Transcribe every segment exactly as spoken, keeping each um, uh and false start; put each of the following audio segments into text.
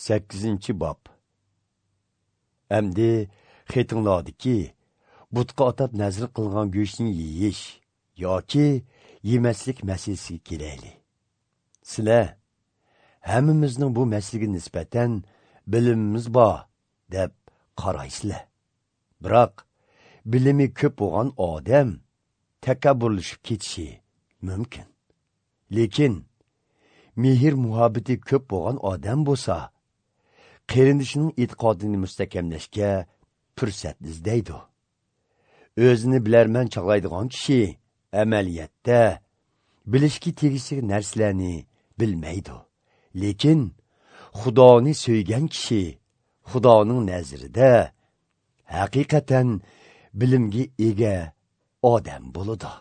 Sakkizinchi bob. Әмді xetinglardagi butqa atab nazr qilgan go'shtni yeyish yoki yemaslik masalasiga kelaylik. Sizlar hammamizning bu masalaga nisbatan bilimimiz bor deb qaraysizlar. Biroq bilimi ko'p bo'lgan odam takabburlashib ketishi mumkin. Lekin mehr muhabbati ko'p bo'lgan odam bo'lsa, qarindishining e'tiqodini mustahkamlashga fursat izlaydi. O'zini bilarman chog'laydigan kishi amaliyotda bilishga tegishli narsalarni bilmaydi. Lekin Xudoni so'ygan kishi Xudoning nazarida haqiqatan bilimga ega odam bo'ladi.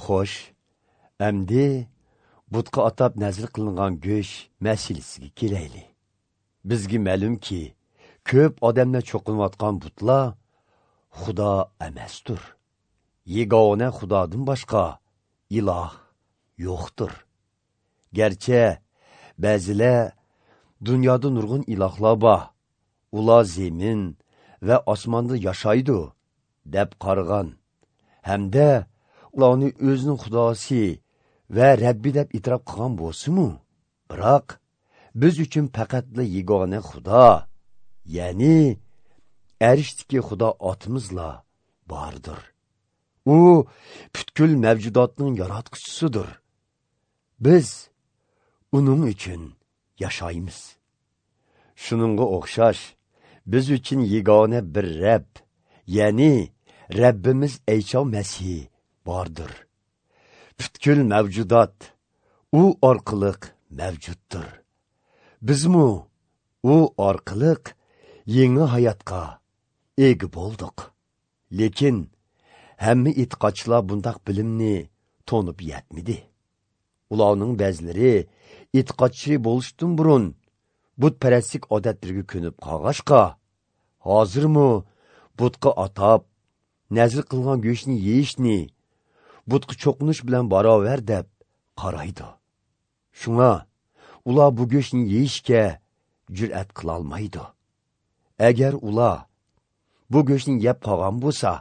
Xo'sh, endi butqa atab nazr qilingan go'sht masalasiga kelaylik. Bizga ma'lumki, ko'p odamlar cho'qinayotgan butlar Xudo emasdir. Yegona Xudodan boshqa iloh yo'qdir. Garchi ba'zilar dunyoda nurg'un ilohlar bor, ular zemin va osmonda yashaydi deb qaragan hamda ularni o'zining xudosi va Rabbi deb e'tirof qilgan bo'lsa-mu, biroq biz uchun faqatla yegona Xudo, ya'ni arishdagi Xudo otimizla bordir. U butkul mavjudotning yaratquchisidir. Biz uning uchun yashaymiz. Shuningga o'xshash biz uchun yegona bir Rab, ya'ni Rabbimiz Ayso Masih bordir. Butkul mavjudot u orqali mavjuddir. Bizmu u orqali yangi hayotga ega bo'ldik. Lekin hamma e'tiqodchilar bundaq bilimni to'nib yetmadi. Ularning ba'zilari e'tiqodchi bo'lishdan burun butparastlik odatlariga ko'nib qolg'ashqa, hozirmi butqa atab nazr qilgan go'shtni yeyishni butqa cho'qinish bilan barobar deb qaraydi. Shunga ular bu go'shtni yeyishga jur'at qilolmaydi. Agar ular bu go'shtni yeb qolgan bo'lsa,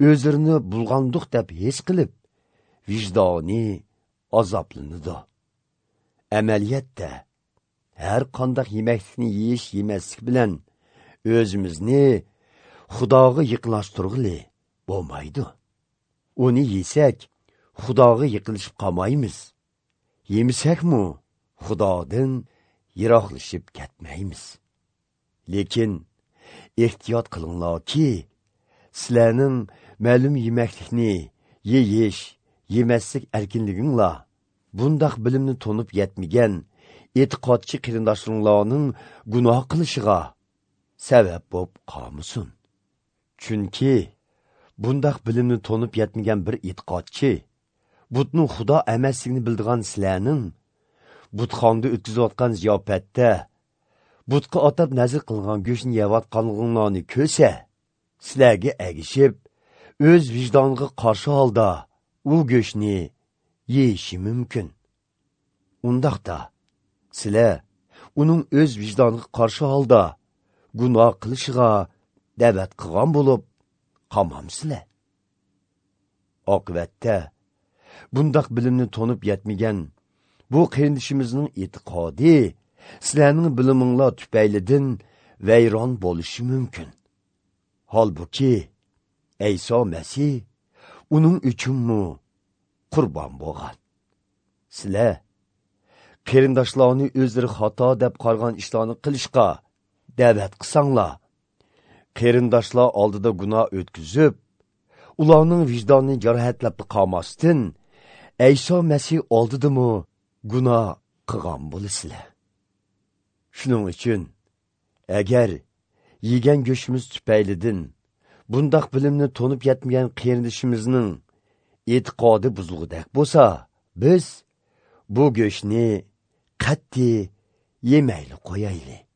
o'zlarini bulg'andiq deb his qilib, vijdoni azoblanadi. Amaliyotda har qanday yemaklikni yeyish yemaslik bilan o'zimizni Xudoga yaqinlashtirg'ili bo'lmaydi. Uni yesak, Xudoga yaqinlashib qolmaymiz. Yemasakmi, Xudodan yiroqlashib ketmaymiz. Lekin ehtiyot qilinglarki, sizlarning ma'lum yemaklikni yeyish, yemaslik erkinliginglar bundaq bilimni to'nib yetmagan e'tiqodchi qarindoshlaringlarning gunoh qilishiga sabab bo'lib qolmasin. Chunki bundaq bilimni to'nib yetmagan bir e'tiqodchi butning Xudo emasligini bildigan sizlarning butxonda o'tkazayotgan ziyofatda butqa atab nazr qilgan go'shtni yeyotganliginglarni ko'rsa, sizlarga ergishib, o'z vijdoniga qarshi holda u go'shtni yeyishi mumkin. Undaqda sizlar uning o'z vijdoniga qarshi holda gunoh qilishiga da'vat qilgan bo'lib qolmamsizlar. Oqibatda bundaq bilimni to'nib yetmagan bu qarindishimizning e'tiqodi sizlarning biliminglar tufaylidan vayron bo'lishi mumkin. Holbuki Ayso Masih uning uchunmi qurbon bo'lgan. Sizlar qarindoshlarni o'zlari xato deb qaragan ishlarni qilishga da'vat qilsanglar, qarindoshlar oldida gunoh o'tkazib, ularning vijdonini jarohatlab qolmasdan Ayso Masih oldidami gunoh qilgan bo'lasizlar. Shuning uchun agar yegan go'shtimiz tufaylidan bundaq bilimni to'nib yetmagan qarindishimizning e'tiqodi buzilgudek bo'lsa, biz bu go'shtni qat'iy yemayli qo'yaylik.